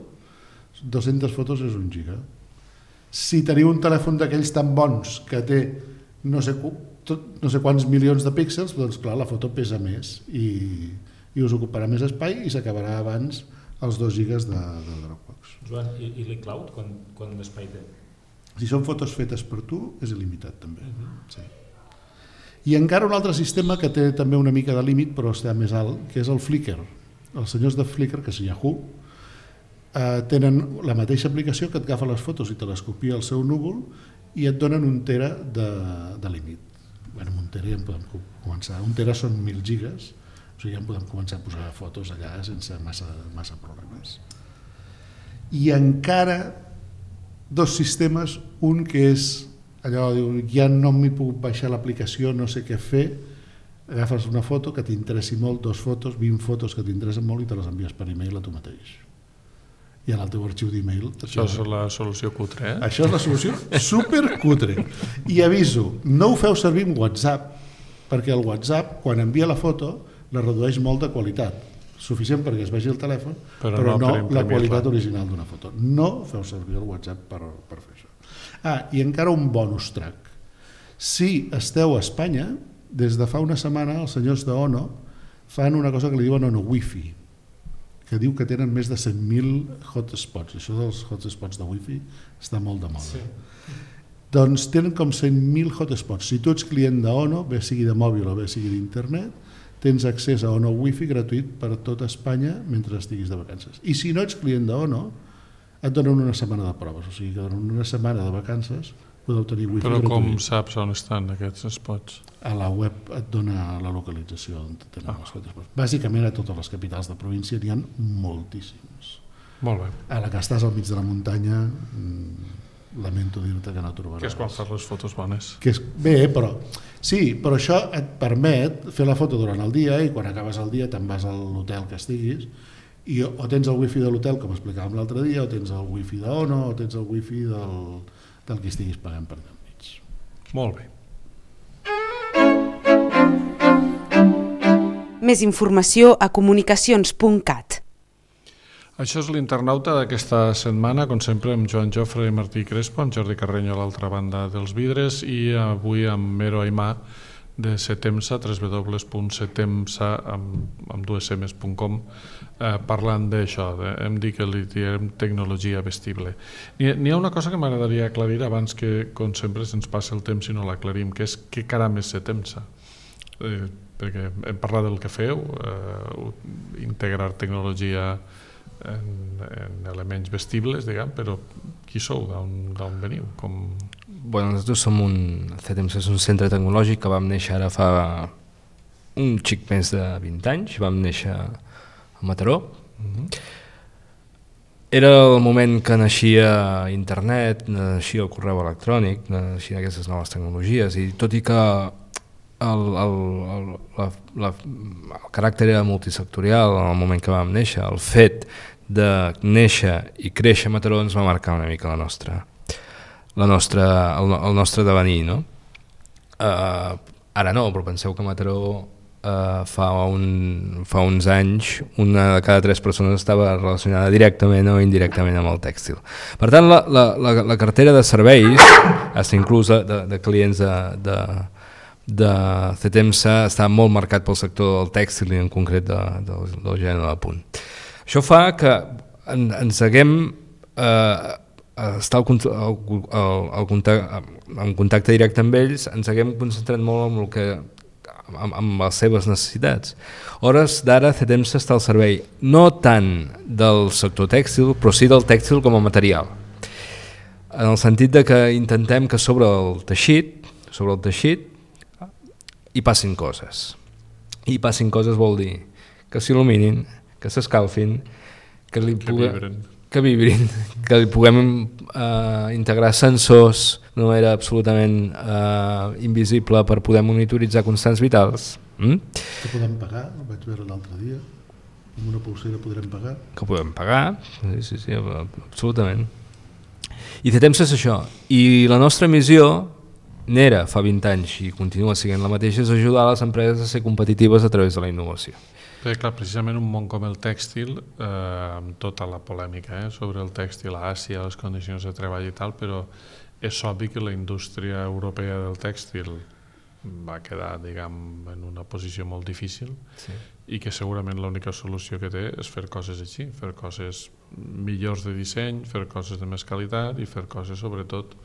S5: dues-centes fotos és un giga. Si teniu un telèfon d'aquells tan bons que té no sé, no sé quants milions de píxels, doncs clar, la foto pesa més i, i us ocuparà més espai i s'acabarà abans els dos gigas de, de Dropbox.
S4: Joan, i, i l'iCloud, quan, quan l'espai té?
S5: Si són fotos fetes per tu, és il·limitat també. Uh-huh. Sí. I encara un altre sistema que té també una mica de límit, però està més alt, que és el Flickr. Els senyors de Flickr, que és Yahoo, eh, tenen la mateixa aplicació que et agafa les fotos i te les copia al seu núvol i et donen un tera de, de límit. Bé, amb un tera ja en podem començar. Un tera són mil gigas, o sigui, ja en podem començar a posar fotos allà sense massa, massa problemes. I encara dos sistemes, un que és allò, diu, ja no m'hi puc baixar l'aplicació, no sé què fer, agafes una foto que t'interessi molt, dos fotos, vint fotos que t'interessen molt i te les envies per e-mail a tu mateix. I en el teu arxiu d'e-mail...
S2: Això és la solució cutre, eh?
S5: Això és la solució supercutre. I aviso, no ho feu servir amb WhatsApp, perquè el WhatsApp, quan envia la foto, la redueix molt de qualitat. Suficient perquè es vegi el telèfon, però, però no, no la qualitat original d'una foto. No feu servir el WhatsApp per, per fer això. Ah, i encara un bonus track. Si esteu a Espanya, des de fa una setmana els senyors d'Ono fan una cosa que li diuen Ono Wi-Fi, que diu que tenen més de cent mil hotspots. Això dels hotspots de Wi-Fi està molt de moda. Sí. Doncs tenen com cent mil hotspots. Si tu ets client d'Ono, bé sigui de mòbil o bé sigui d'internet, tens accés a Ono Wi-Fi gratuït per a tota Espanya mentre estiguis de vacances. I si no ets client d'Ono, et donen una setmana de proves, o sigui que donen una setmana de vacances, podeu tenir Wi-Fi
S2: Però
S5: gratuït.
S2: com saps on estan aquests spots?
S5: A la web et dona la localització on tenen ah. les quotes. Bàsicament a totes les capitals de província n'hi ha moltíssims.
S2: Molt bé.
S5: A la que estàs al mig de la muntanya, lamento dir-te que no trobaràs.
S2: Que és quan fas les fotos bones.
S5: Que és, bé, però sí, però això et permet fer la foto durant el dia i quan acabes el dia te'n vas a l'hotel que estiguis i o tens el wifi de l'hotel, com explicàvem l'altre dia, o tens el wifi d'Ono, o tens el wifi del, del que estiguis pagant per allà enmig.
S2: Molt bé.
S1: Més informació a comunicacions punt cat.
S2: Això és l'internauta d'aquesta setmana, com sempre, amb Joan Jofre i Martí Crespo, amb Jordi Carreño a l'altra banda dels vidres, i avui amb Mero Aimà de Setemsa, w w w punt setemsa amb dues emes punt com, eh, parlant d'això, de, hem dit que li diem tecnologia vestible. N'hi ha una cosa que m'agradaria aclarir abans que, com sempre, se'ns passa el temps i no l'aclarim, que és què caram és Setemsa. Eh, perquè hem parlat del que feu, eh, integrar tecnologia En, en elements vestibles, diguem, però qui sou, d'on veniu? Com...
S3: Bueno, nosaltres som un, Setemsa és un centre tecnològic que vam néixer ara fa un xic més de vint anys, vam néixer a Mataró. Uh-huh. Era el moment que naixia internet, naixia el correu electrònic, naixien aquestes noves tecnologies, i tot i que el, el, el, la, la, el caràcter era multisectorial en el moment que vam néixer, el fet de néixer i créixer a Mataró ens va marcar una mica la nostra, la nostra, el, el nostre devenir, no? Uh, ara no, però penseu que a Mataró uh, fa, un, fa uns anys una de cada tres persones estava relacionada directament o indirectament amb el tèxtil. Per tant, la, la, la, la cartera de serveis, fins inclús de, de clients de, de de Setemsa està molt marcat pel sector del tèxtil i en concret de, de, del gènere de punt. Això fa que en, ens haguem eh, estar al, al, al, al contacte, en contacte directe amb ells, ens haguem concentrat molt en, el que, en, en les seves necessitats. Hores d'ara Setemsa està al servei no tant del sector tèxtil, però sí del tèxtil com a material. En el sentit de que intentem que sobre el teixit, sobre el teixit hi passin coses. I passin coses vol dir que s'il·luminin, que s'escalfin, que, li
S2: que,
S3: puga,
S2: vibren.
S3: que vibrin, que li puguem eh, integrar sensors d'una manera absolutament eh, invisible per poder monitoritzar constants vitals. Mm?
S5: Que podem pagar, ho vaig veure l'altre dia, amb una pulsera podrem pagar.
S3: Que podem pagar, sí, sí, sí, absolutament. I Setemsa és això. I la nostra missió n'era fa vint anys i continua sent la mateixa, és ajudar les empreses a ser competitives a través de la innovació.
S2: Bé, clar, precisament un món com el tèxtil, eh, amb tota la polèmica eh, sobre el tèxtil a Àsia, les condicions de treball i tal, però és obvi que la indústria europea del tèxtil va quedar, diguem, en una posició molt difícil, sí. I que segurament l'única solució que té és fer coses així, fer coses millors de disseny, fer coses de més qualitat i fer coses, sobretot,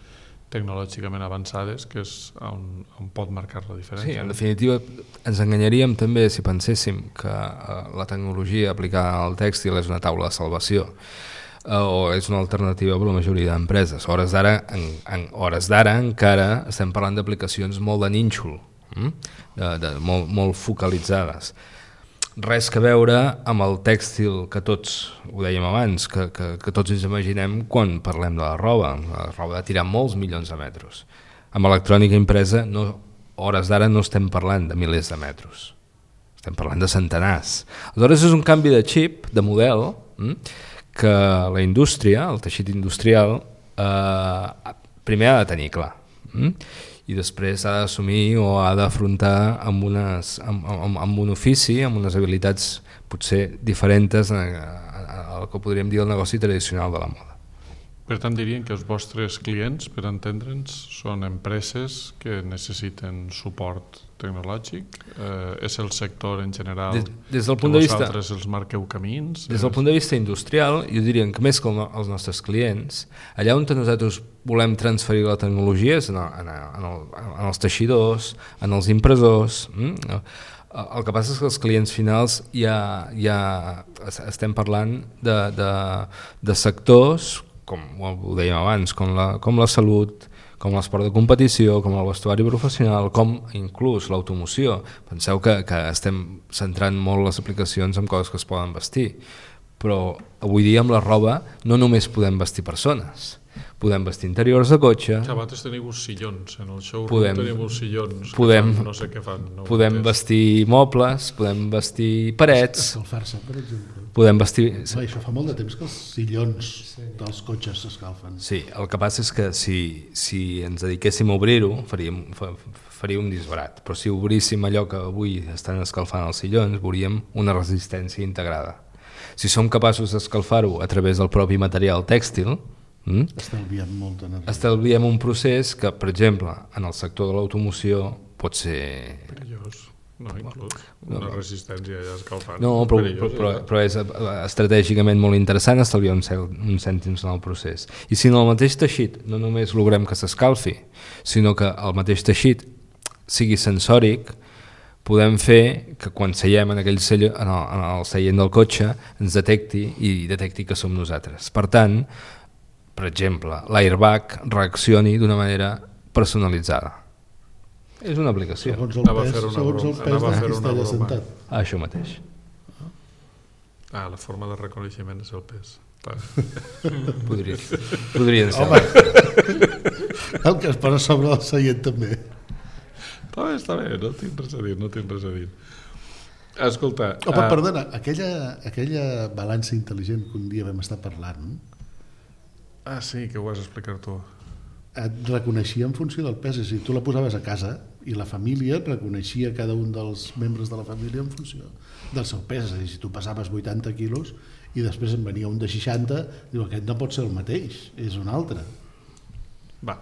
S2: tecnològicament avançades, que és on, on pot marcar la diferència.
S3: Sí, en definitiva ens enganyaríem també si penséssim que uh, la tecnologia aplicada al tèxtil és una taula de salvació uh, o és una alternativa per a la majoria d'empreses. A hores d'ara en, en hores d'ara encara estem parlant d'aplicacions molt de nínxol, mm? de, de, molt, molt focalitzades. Res que veure amb el tèxtil que tots, ho dèiem abans, que, que, que tots ens imaginem quan parlem de la roba, la roba de tirar molts milions de metres. Amb electrònica impresa, no, hores d'ara no estem parlant de milers de metres, estem parlant de centenars. Aleshores és un canvi de xip, de model, que la indústria, el teixit industrial, eh, primer ha de tenir clar. I després ha d'assumir o ha d'afrontar amb, unes, amb, amb, amb un ofici, amb unes habilitats potser diferents al que podríem dir el negoci tradicional de la moda.
S2: Per tant, dirien que els vostres clients, per entendre'ns, són empreses que necessiten suport tecnològic? Eh, és el sector en general des, des del punt que vosaltres de vista, els marqueu camins?
S3: Des del punt de vista industrial, jo diria que més que els nostres clients, allà on nosaltres volem transferir la tecnologia és en, el, en, el, en els teixidors, en els impressors, mm? El que passa és que els clients finals ja, ja estem parlant de, de, de sectors, com ho dèiem abans, com la, com la salut, com l'esport de competició, com el vestuari professional, com inclús l'automoció. Penseu que, que estem centrant molt les aplicacions en coses que es poden vestir, però avui dia amb la roba no només podem vestir persones, podem vestir interiors de cotxe.
S2: Sabates teniu uns sillons, en el showroom
S3: podem,
S2: teniu uns sillons,
S3: podem,
S2: fan, no sé què fan. No
S3: podem vestir mobles, podem vestir parets.
S5: Escalfar-se, per exemple.
S3: Podem vestir...
S5: Va, això fa molt de temps que els sillons sí. dels cotxes s'escalfen.
S3: Sí, el que passa és que si, si ens dediquéssim a obrir-ho faríem, faríem un disbarat, però si obríssim allò que avui estan escalfant els sillons veuríem una resistència integrada. Si som capaços d'escalfar-ho a través del propi material tèxtil, mm?
S5: estalviem molta energia.
S3: Estalviem un procés que, per exemple, en el sector de l'automoció pot ser...
S2: perillós, no, inclús. Una no, resistència ja escalfant.
S3: No, però, però, però, però és estratègicament molt interessant estalviar uns, uns cèntims en el procés. I si en el mateix teixit no només logrem que s'escalfi, sinó que el mateix teixit sigui sensòric, podem fer que quan seiem en aquell sello, en, el, en el seient del cotxe ens detecti i detecti que som nosaltres. Per tant, per exemple, l'airbag reaccioni d'una manera personalitzada. És una aplicació.
S5: Segons el pes, segons el pes de qui està allà sentat.
S3: Ah, això mateix.
S2: Ah, la forma de reconeixement és el pes.
S3: Podria, podrien ser.
S5: Home, el que es posa sobre el seient també.
S2: Està bé, està bé, no tinc res a dir, no tinc res a dir. Escolta...
S5: Home, uh... perdona, aquella, aquella balança intel·ligent que un dia vam estar parlant...
S2: Ah, sí, que ho vas explicar tu.
S5: Et reconeixia en funció del pes, és a dir, tu la posaves a casa i la família et reconeixia cada un dels membres de la família en funció del seu pes, és a dir, si tu pesaves vuitanta quilos i després en venia un de seixanta, diu, aquest no pot ser el mateix, és un altre.
S2: Va.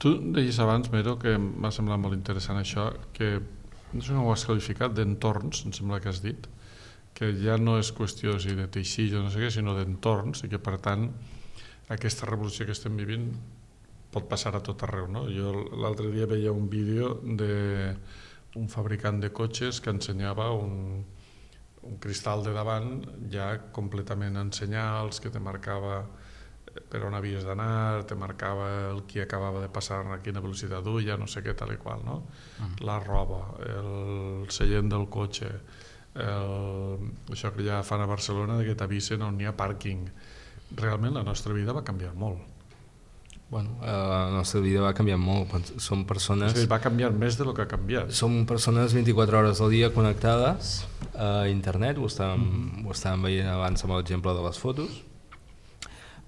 S2: Tu deies abans, Mero, que m'ha semblat molt interessant això, que no sé com ho has qualificat, d'entorns, em sembla que has dit, que ja no és qüestió si de teixit o no sé què, sinó d'entorns, i que per tant aquesta revolució que estem vivint pot passar a tot arreu, no? Jo l'altre dia veia un vídeo d'un fabricant de cotxes que ensenyava un, un cristal de davant ja completament en senyals, que te marcava per on havies d'anar, te marcava el qui acabava de passar, a quina velocitat duia, no sé què, tal i qual, no? Uh-huh. La roba, el seient del cotxe, el... això que ja fan a Barcelona, que t'avisen on hi ha pàrquing. Realment la nostra vida va canviar molt.
S3: Bueno, eh, la nostra vida va canviar molt. Som persones...
S2: O sigui, va canviar més del que ha canviat.
S3: Som persones vint-i-quatre hores al dia connectades a internet, ho estàvem, mm-hmm. ho estàvem veient abans amb l'exemple de les fotos.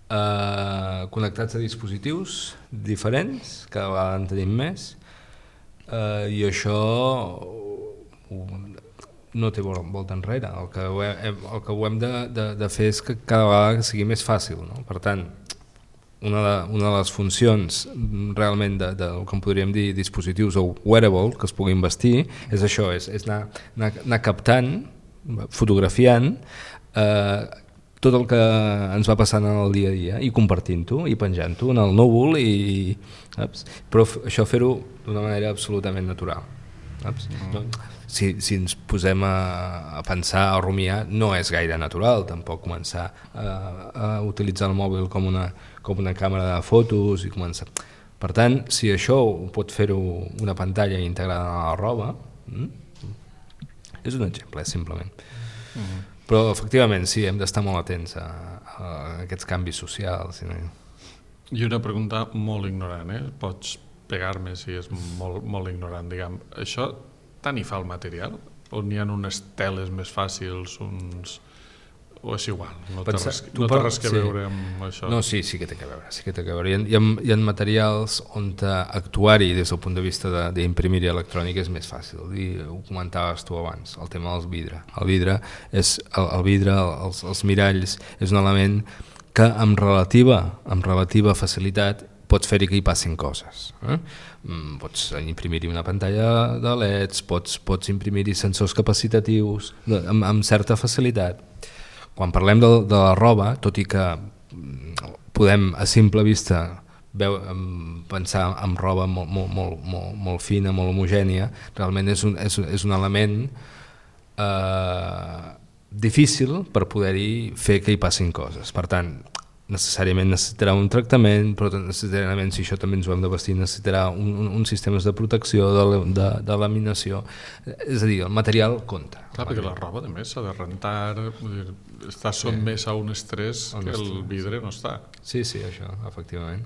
S3: Uh, connectats a dispositius diferents, cada vegada en tenim més, uh, i això uh, no té volta enrere. El que, hem, el que ho hem de, de, de fer és que cada vegada sigui més fàcil, no? Per tant, una de, una de les funcions realment de, de, del que en podríem dir dispositius o wearable que es puguin vestir és això, és, és anar, anar, anar captant, fotografiant eh, tot el que ens va passant en el dia a dia i compartint-ho i penjant-ho en el núvol i, saps? Però això fer-ho d'una manera absolutament natural, saps? No, si, si ens posem a, a pensar, a rumiar, no és gaire natural tampoc començar a, a utilitzar el mòbil com una, com una càmera de fotos i començar. Per tant, si això ho pot fer-ho una pantalla integrada a la roba, mm? és un exemple, simplement. Mm-hmm. Però efectivament sí, hem d'estar molt atents a, a aquests canvis socials.
S2: I una pregunta molt ignorant, eh? Pots pegar-me si és molt, molt ignorant, diguem. Això tant hi fa el material? O n'hi ha unes teles més fàcils, uns... o és igual? No té res, no té res que sí. veure amb això?
S3: No, sí, sí que té que veure. Sí que té que veure. Hi ha, hi ha, hi ha materials on actuar-hi des del punt de vista d'imprimir-hi electrònica és més fàcil. I ho comentaves tu abans, el tema dels vidre. El vidre, és, el, el vidre els, els miralls, és un element que amb relativa, amb relativa facilitat pots fer-hi que hi passin coses. Eh? Pots imprimir-hi una pantalla de L E Ds, pots, pots imprimir-hi sensors capacitatius amb, amb certa facilitat. Quan parlem de, de la roba, tot i que podem a simple vista veu, pensar en roba molt, molt, molt, molt, molt fina, molt homogènia, realment és un, és, és un element eh, difícil per poder-hi fer que hi passin coses. Per tant, necessàriament necessitarà un tractament, però necessàriament, si això també ens ho hem de vestir, necessitarà un, un, un sistemes de protecció, de, de, de laminació. És a dir, el material compta.
S2: Clar, perquè la roba, a més, s'ha de rentar, dir, està sotmès sí. a un estrès que el vidre no està.
S3: Sí, sí, això, efectivament.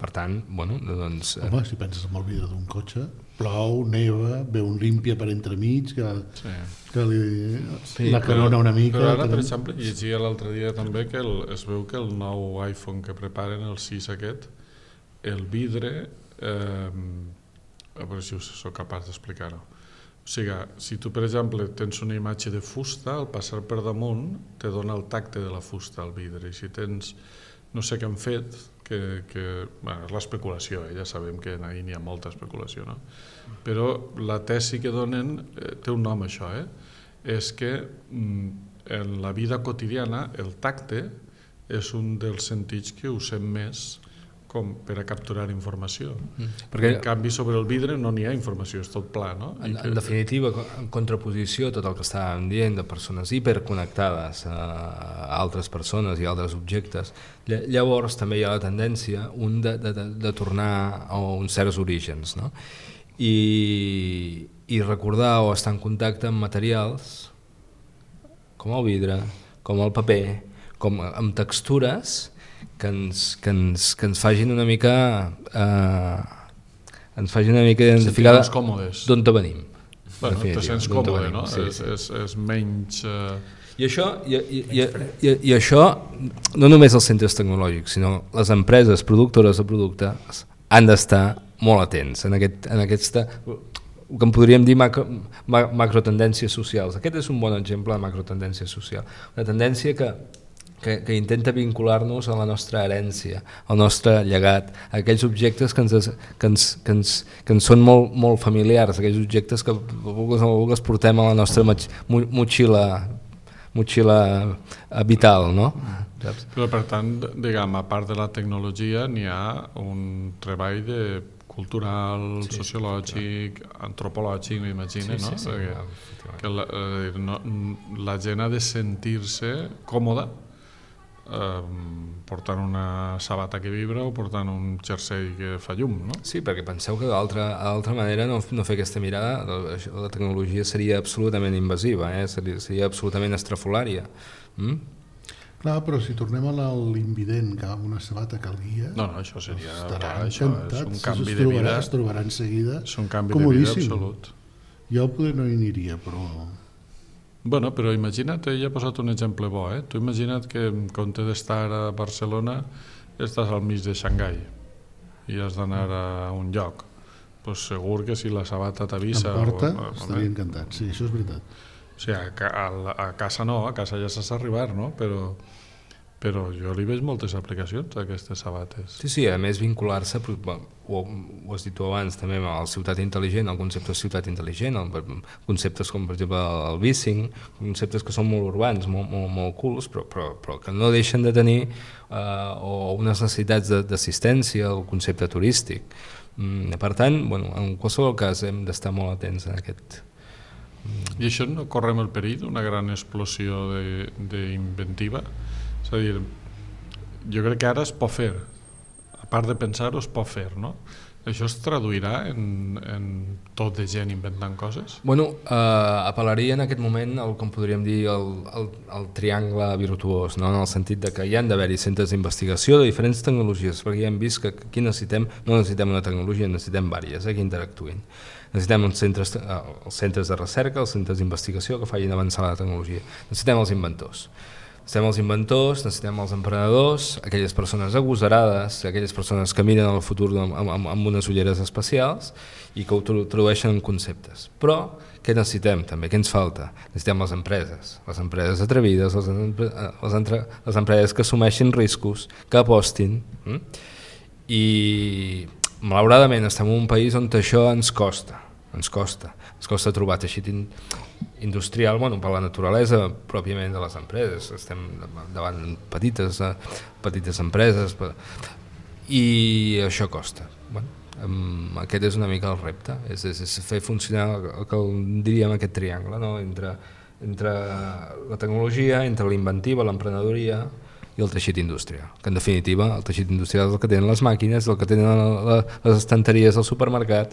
S3: Per tant, bueno, doncs...
S5: Home, si penses en el vidre d'un cotxe, plou, neva, ve un límpia per entremig, que, sí. que li, sí, la canona una mica...
S2: Però ara, per exemple, llegia l'altre dia també que el, es veu que el nou iPhone que preparen, el sis aquest, el vidre... Eh, a veure si sóc capaç d'explicar-ho. O sigui, si tu, per exemple, tens una imatge de fusta, al passar per damunt te dona el tacte de la fusta al vidre. I si tens, no sé què han fet, que, que bueno, és l'especulació, eh? Ja sabem que ahir n'hi ha molta especulació, no? Però la tesi que donen, eh, té un nom això, eh? És que mm, en la vida quotidiana el tacte és un dels sentits que usem més com per a capturar informació. Mm. Perquè, en canvi, sobre el vidre no n'hi ha informació, és tot pla, no?
S3: En, que... en definitiva, en contraposició a tot el que estàvem dient de persones hiperconnectades a, a altres persones i altres objectes, llavors també hi ha la tendència un de, de, de, de tornar a uns certs orígens, no? I, i recordar o estar en contacte amb materials com el vidre, com el paper, com amb textures que ens, que ens, que ens fagin una mica eh, ens fagin una mica identificada d'on te venim.
S2: Bueno, te sents còmode, no? Sí, és, és, és menys... Eh...
S3: I això, i, i, i, i, i això no només els centres tecnològics, sinó les empreses productores de productes han d'estar molt atents en, aquest, en aquesta... el que en podríem dir macro, ma, macrotendències socials. Aquest és un bon exemple de macrotendència social. Una tendència que Que, que intenta vincular-nos a la nostra herència, al nostre llegat, a aquells objectes que ens, que ens, que ens, que ens són molt, molt familiars, aquells objectes que vulgues portem a la nostra motxilla, motxilla vital, no?
S2: Saps? Però per tant, diguem, a part de la tecnologia n'hi ha un treball de cultural, sí, sociològic, sí, antropològic, m'imagino, sí, no? Sí, sí, Perquè que la, eh, no, la gent ha de sentir-se còmoda Um, portant una sabata que vibra o portant un jersei que fa llum, no?
S3: Sí, perquè penseu que d'altra manera no, no fer aquesta mirada, la, la tecnologia seria absolutament invasiva, eh? seria, seria absolutament estrafolària. Mm?
S5: Clar, però si tornem a l'invident que amb una sabata que el guia,
S2: no, no, això seria
S5: estaran
S2: això, és un canvi si de vida,
S5: es trobarà en seguida
S2: és un canvi de vida absolut.
S5: Jo poder no hi aniria, però...
S2: Bueno, però imagina't, ell ha posat un exemple bo, eh? Tu imagina't que en compte d'estar a Barcelona estàs al mig de Xangai i has d'anar a un lloc. Pues segur que si la sabata t'avisa...
S5: En porta, o, estaria encantat, sí, això és veritat.
S2: O sigui, a, a, a casa no, a casa ja saps arribar, no? Però, però jo li veig moltes aplicacions a aquestes sabates.
S3: Sí, sí, a més vincular-se, ho, ho has dit tu abans també, a la ciutat intel·ligent, el concepte de ciutat intel·ligent, el, conceptes com per exemple el bicing, conceptes que són molt urbans, molt, molt, molt cools, però, però, però que no deixen de tenir eh, o unes necessitats d'assistència, el concepte turístic. Mm, per tant, bueno, en qualsevol cas hem d'estar molt atents en aquest...
S2: I això no correm el perill d'una gran explosió d'inventiva? És a dir, jo crec que ara es pot fer, a part de pensar-ho es pot fer, no? Això es traduirà en, en tot de gent inventant coses?
S3: Bueno, eh, apel·laria en aquest moment al com podríem dir el, el, el triangle virtuós, no? En el sentit de que hi han d'haver-hi centres d'investigació de diferents tecnologies, perquè ja hem vist que aquí necessitem, no necessitem una tecnologia, necessitem diverses eh, que interactuïn. Necessitem uns centres, eh, els centres de recerca, els centres d'investigació que facin avançar la tecnologia. Necessitem els inventors. Necessitem els inventors, necessitem els emprenedors, aquelles persones agosarades, aquelles persones que miren el futur amb, amb, amb unes ulleres especials i que ho tradueixen en conceptes. Però què necessitem també? Què ens falta? Necessitem les empreses, les empreses atrevides, les, les, entre, les empreses que assumeixin riscos, que apostin. Hm? I malauradament estem en un país on això ens costa, ens costa, ens costa trobar teixit industrial, bueno, per la naturalesa pròpiament de les empreses, estem davant petites, petites empreses, i això costa. Bueno, aquest és una mica el repte, és, és, és fer funcionar el que diríem aquest triangle, no? entre, entre la tecnologia, entre la inventiva, l'emprenedoria i el teixit industrial, que en definitiva el teixit industrial és el que tenen les màquines, el que tenen les estanteries del supermercat.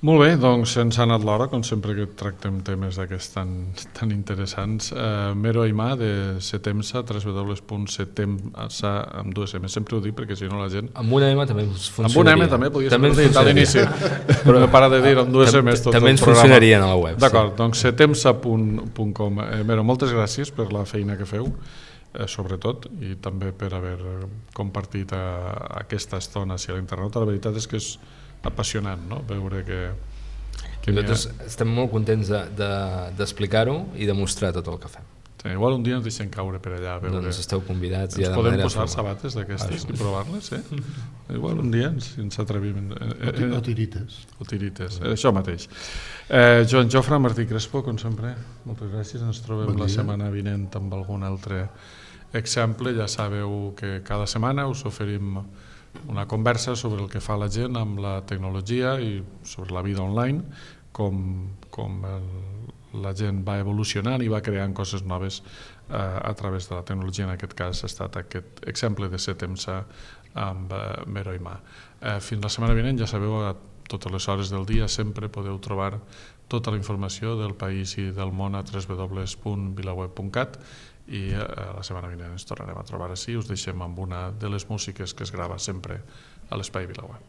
S2: Molt bé, doncs ens ha anat l'hora, com sempre que tractem temes d'aquests tan, tan interessants. Uh, Mero Aimà, de Setemsa, w w w punt setemsa, amb dues M, sempre ho dic perquè si no la gent...
S3: Amb una M també funcionaria.
S2: Amb una M també, podies haver dit a l'inici, però no para de dir amb dues M's tot
S3: també
S2: el programa.
S3: També ens funcionarien a la web.
S2: D'acord, sí. Doncs setemsa punt com. Eh, Mero, moltes gràcies per la feina que feu, eh, sobretot, i també per haver compartit a, aquesta estona a l'internet. La veritat és que és apassionant, no? Veure que, que
S3: nosaltres ha... estem molt contents d'explicar-ho de, de i de mostrar tot el que fem.
S2: Sí, igual un dia ens deixem caure per allà a veure.
S3: Doncs esteu convidats.
S2: Ens ja podem posar sabates d'aquestes i provar-les, eh? Igual un dia ens, ens atrevim.
S5: Eh, eh, o tirites.
S2: O tirites, eh, això mateix. Eh, Joan Jofre, Martí Crespo, com sempre, moltes gràcies. Ens trobem bon la setmana vinent amb algun altre exemple. Ja sabeu que cada setmana us oferim una conversa sobre el que fa la gent amb la tecnologia i sobre la vida online, com, com el, la gent va evolucionant i va creant coses noves eh, a través de la tecnologia. En aquest cas ha estat aquest exemple de Setemsa amb eh, Mero Aimà. Eh, fins la setmana vinent, ja sabeu, a totes les hores del dia sempre podeu trobar tota la informació del país i del món a w w w punt vilaweb punt cat i la setmana vinent ens tornarem a trobar així. Us deixem amb una de les músiques que es grava sempre a l'Espai VilaWeb.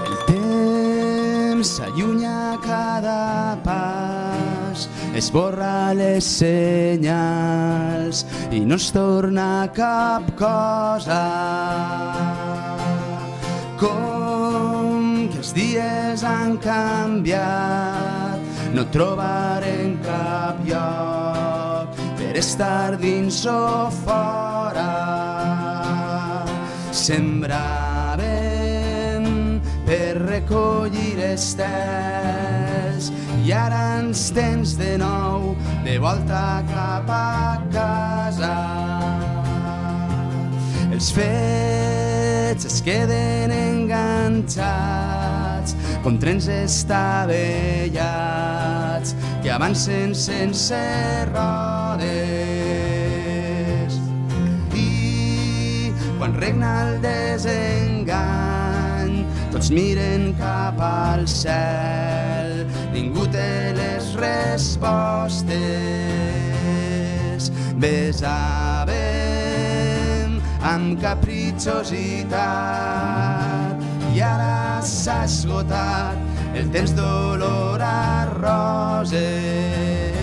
S9: El temps s'allunya cada pas, esborra les senyals i no es torna cap cosa. Com que els dies han canviat, no trobarem cap lloc per estar dins o fora. Sembràvem per recollir estels i ara ens tens de nou de volta cap a casa. Els fets es queden enganxats com trens estavellats que avancen sense rodes. I quan regna el desengany, tots miren cap al cel, ningú té les respostes. Besàvem amb capritxositat i ara s'ha esgotat el temps d'olor a roses.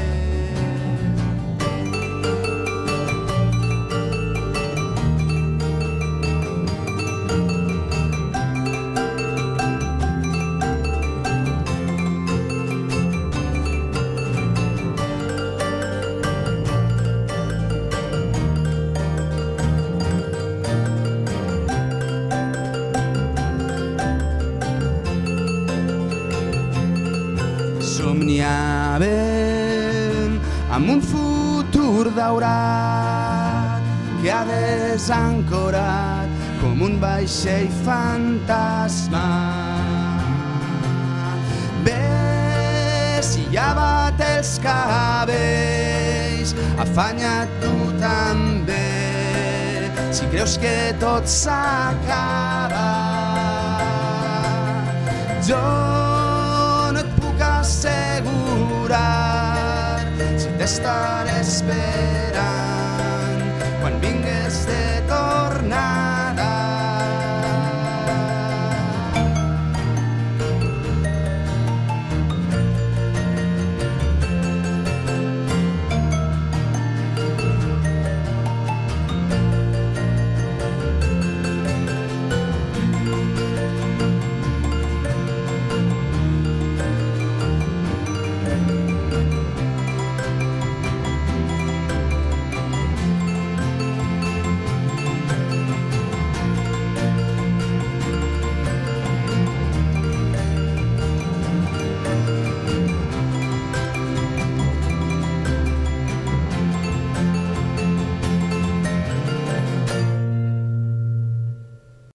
S9: Somniàvem amb un futur daurat que ha desancorat com un vaixell fantasma. Ves i lleva't els cabells, afanya't tu també, si creus que tot s'acaba. Jo assegurar si t'estaré esperant.